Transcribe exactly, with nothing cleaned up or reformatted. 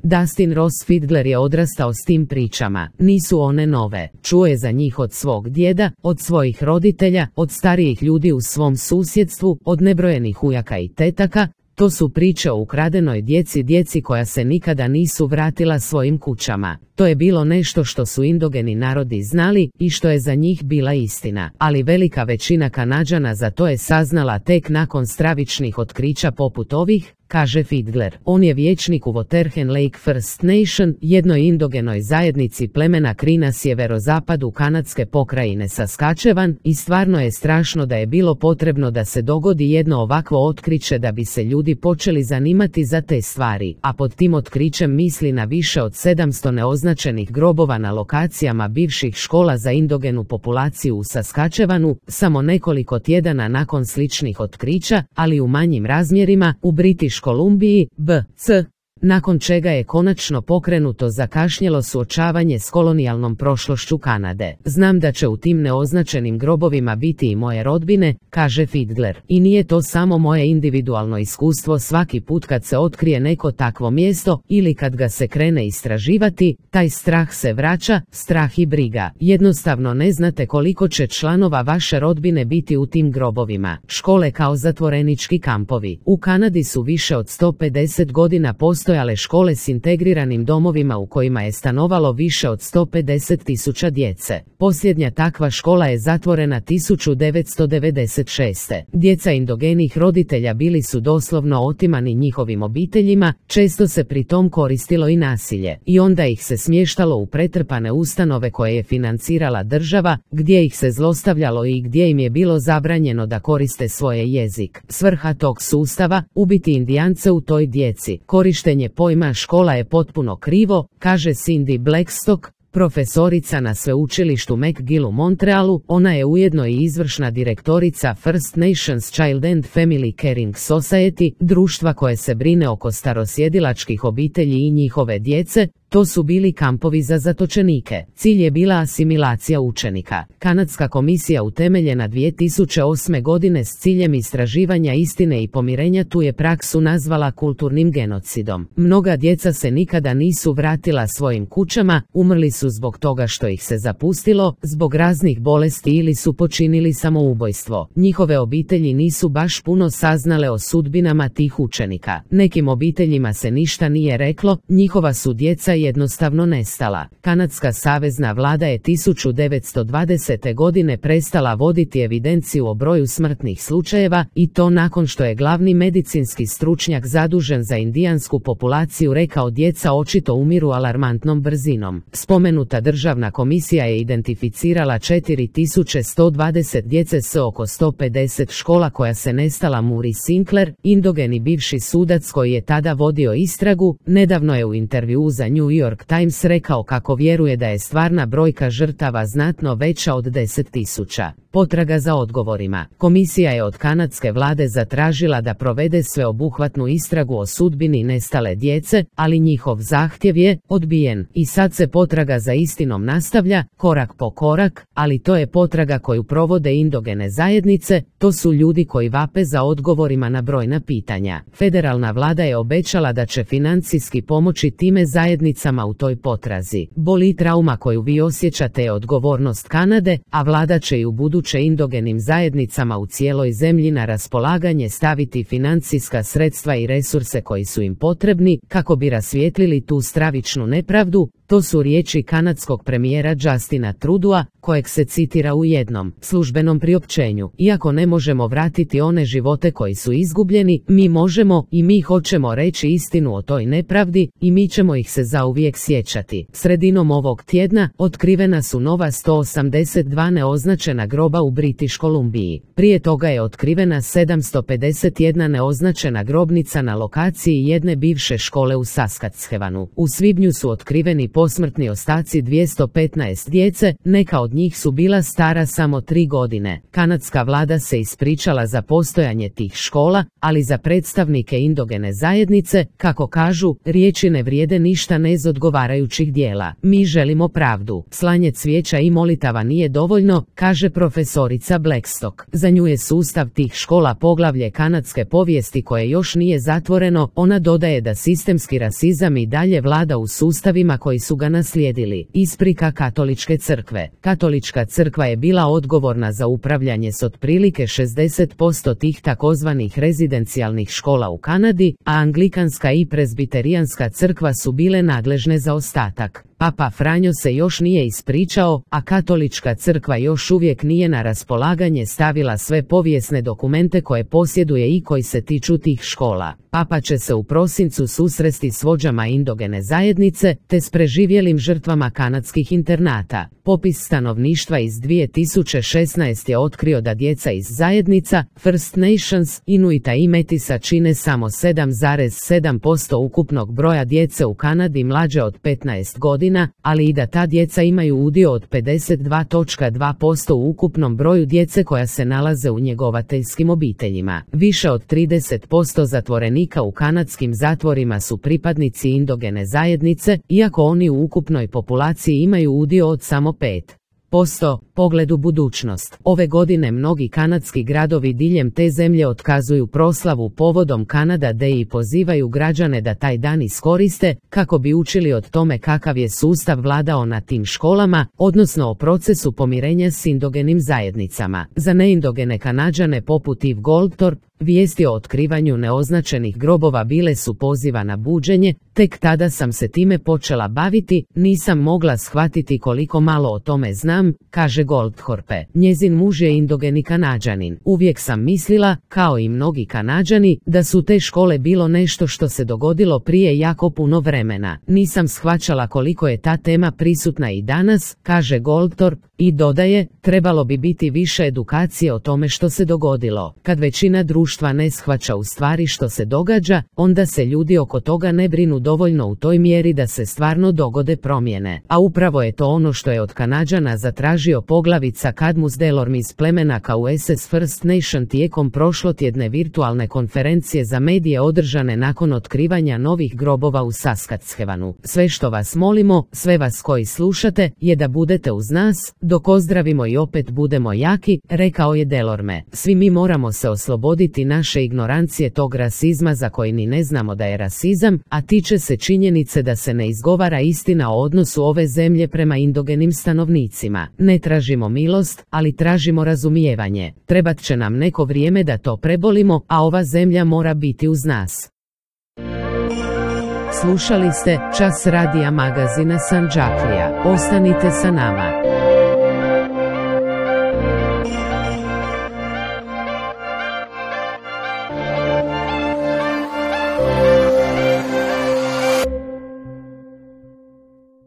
Dustin Ross Fiedler je odrastao s tim pričama, nisu one nove, čuo je za njih od svog djeda, od svojih roditelja, od starijih ljudi u svom susjedstvu, od nebrojenih ujaka i tetaka. To su priče o ukradenoj djeci, djeci koja se nikada nisu vratila svojim kućama. To je bilo nešto što su indogeni narodi znali i što je za njih bila istina, ali velika većina Kanađana za to je saznala tek nakon stravičnih otkrića poput ovih, kaže Fiedler. On je vijećnik u Waterhen Lake First Nation, jednoj indogenoj zajednici plemena Cree na sjeverozapadu kanadske pokrajine Saskatchewan, i stvarno je strašno da je bilo potrebno da se dogodi jedno ovakvo otkriće da bi se ljudi počeli zanimati za te stvari, a pod tim otkrićem misli na više od sedamsto neoznačenih grobova na lokacijama bivših škola za indogenu populaciju u Saskatchewanu, samo nekoliko tjedana nakon sličnih otkrića, ali u manjim razmjerima, u British Kolumbiji, B C nakon čega je konačno pokrenuto zakašnjelo suočavanje s kolonijalnom prošlošću Kanade. Znam da će u tim neoznačenim grobovima biti i moje rodbine, kaže Fiedler. I nije to samo moje individualno iskustvo, svaki put kad se otkrije neko takvo mjesto ili kad ga se krene istraživati, taj strah se vraća, strah i briga. Jednostavno ne znate koliko će članova vaše rodbine biti u tim grobovima. Škole kao zatvorenički kampovi. U Kanadi su više od sto pedeset godina postojale škole s integriranim domovima u kojima je stanovalo više od sto pedeset tisuća djece. Posljednja takva škola je zatvorena tisuću devetsto devedeset šeste. Djeca indogenih roditelja bili su doslovno otimani njihovim obiteljima, često se pri tom koristilo i nasilje, i onda ih se smještalo u pretrpane ustanove koje je financirala država, gdje ih se zlostavljalo i gdje im je bilo zabranjeno da koriste svoje jezik. Svrha tog sustava, ubiti Indijance u toj djeci. Korištenje pojma škola je potpuno krivo, kaže Cindy Blackstock, profesorica na sveučilištu McGill u Montrealu. Ona je ujedno i izvršna direktorica First Nations Child and Family Caring Society, društva koje se brine oko starosjedilačkih obitelji i njihove djece. To su bili kampovi za zatočenike. Cilj je bila asimilacija učenika. Kanadska komisija utemeljena dvije tisuće osme godine s ciljem istraživanja istine i pomirenja tu je praksu nazvala kulturnim genocidom. Mnoga djeca se nikada nisu vratila svojim kućama, umrli su zbog toga što ih se zapustilo, zbog raznih bolesti ili su počinili samoubojstvo. Njihove obitelji nisu baš puno saznale o sudbinama tih učenika. Nekim obiteljima se ništa nije reklo, njihova su djeca jednostavno nestala. Kanadska savezna vlada je tisuću devetsto dvadesete godine prestala voditi evidenciju o broju smrtnih slučajeva, i to nakon što je glavni medicinski stručnjak zadužen za indijansku populaciju rekao djeca očito umiru alarmantnom brzinom. Spomenuta državna komisija je identificirala četiri tisuće sto dvadeset djece s oko sto pedeset škola koja se nestala. Muri Sinclair, indogeni bivši sudac koji je tada vodio istragu, nedavno je u intervjuu za New York Times rekao kako vjeruje da je stvarna brojka žrtava znatno veća od deset tisuća. Potraga za odgovorima. Komisija je od kanadske vlade zatražila da provede sveobuhvatnu istragu o sudbini nestale djece, ali njihov zahtjev je odbijen i sad se potraga za istinom nastavlja, korak po korak, ali to je potraga koju provode indogene zajednice, to su ljudi koji vape za odgovorima na brojna pitanja. Federalna vlada je obećala da će financijski pomoći time zajednicama u toj potrazi. Boli trauma koju vi osjećate je odgovornost Kanade, a vlada će i u budućnosti će indogenim zajednicama u cijeloj zemlji na raspolaganje staviti financijska sredstva i resurse koji su im potrebni kako bi rasvijetlili tu stravičnu nepravdu. To su riječi kanadskog premijera Justina Trudeau, kojeg se citira u jednom službenom priopćenju. Iako ne možemo vratiti one živote koji su izgubljeni, mi možemo i mi hoćemo reći istinu o toj nepravdi i mi ćemo ih se zauvijek sjećati. Sredinom ovog tjedna otkrivena su nova sto osamdeset dva neoznačena groba u British Kolumbiji. Prije toga je otkrivena sedamsto pedeset jedna neoznačena grobnica na lokaciji jedne bivše škole u Saskatchewanu. U svibnju su otkriveni posmrtni ostaci dvjesto petnaest djece, neka od njih su bila stara samo tri godine. Kanadska vlada se ispričala za postojanje tih škola, ali za predstavnike indogene zajednice, kako kažu, riječi ne vrijede ništa bez odgovarajućih dijela. Mi želimo pravdu. Slanje cvijeća i molitava nije dovoljno, kaže profesorica Blackstock. Za nju je sustav tih škola poglavlje kanadske povijesti koje još nije zatvoreno. Ona dodaje da sistemski rasizam i dalje vlada u sustavima koji su ga naslijedili. Isprika katoličke crkve. Katolička crkva je bila odgovorna za upravljanje s otprilike šezdeset posto tih takozvanih rezidencijalnih škola u Kanadi, a anglikanska i prezbiterijanska crkva su bile nadležne za ostatak. Papa Franjo se još nije ispričao, a katolička crkva još uvijek nije na raspolaganje stavila sve povijesne dokumente koje posjeduje i koji se tiču tih škola. Papa će se u prosincu susresti s vođama indogene zajednice, te s preživjelim žrtvama kanadskih internata. Popis stanovništva iz dvije tisuće šesnaeste. je otkrio da djeca iz zajednica First Nations, Inuita i Metisa čine samo sedam zarez sedam posto ukupnog broja djece u Kanadi mlađe od petnaest godina, ali i da ta djeca imaju udio od pedeset dva zarez dva posto u ukupnom broju djece koja se nalaze u njegovateljskim obiteljima. Više od trideset posto zatvorenika u kanadskim zatvorima su pripadnici indogene zajednice, iako oni u ukupnoj populaciji imaju udio od samo pet posto. Pogled u budućnost. Ove godine mnogi kanadski gradovi diljem te zemlje otkazuju proslavu povodom Kanada Day i pozivaju građane da taj dan iskoriste, kako bi učili od tome kakav je sustav vladao na tim školama, odnosno o procesu pomirenja s indogenim zajednicama. Za neindogene Kanađane poput Eve Goldthorpe, vijesti o otkrivanju neoznačenih grobova bile su poziva na buđenje. Tek tada sam se time počela baviti, nisam mogla shvatiti koliko malo o tome znam, kaže Goldthorpe. Njezin muž je indogeni Kanađanin. Uvijek sam mislila, kao i mnogi Kanađani, da su te škole bilo nešto što se dogodilo prije jako puno vremena. Nisam shvaćala koliko je ta tema prisutna i danas, kaže Goldthorpe, i dodaje, trebalo bi biti više edukacije o tome što se dogodilo. Kad većina društva ne shvaća u stvari što se događa, onda se ljudi oko toga ne brinu dovoljno u toj mjeri da se stvarno dogode promjene. A upravo je to ono što je od Kanađana zatražio poglavica Cadmus Delorme iz plemena Cauases First Nation tijekom prošlotjedne virtualne konferencije za medije održane nakon otkrivanja novih grobova u Saskatchewanu. Sve što vas molimo, sve vas koji slušate, je da budete uz nas, dok ozdravimo i opet budemo jaki, rekao je Delorme. Svi mi moramo se osloboditi naše ignorancije tog rasizma za koji ni ne znamo da je rasizam, a tiče se činjenice da se ne izgovara istina o odnosu ove zemlje prema indogenim stanovnicima. Ne tražimo milost, ali tražimo razumijevanje. Trebat će nam neko vrijeme da to prebolimo, a ova zemlja mora biti uz nas. Slušali ste Čas radija magazina Sandžaklija. Ostanite sa nama.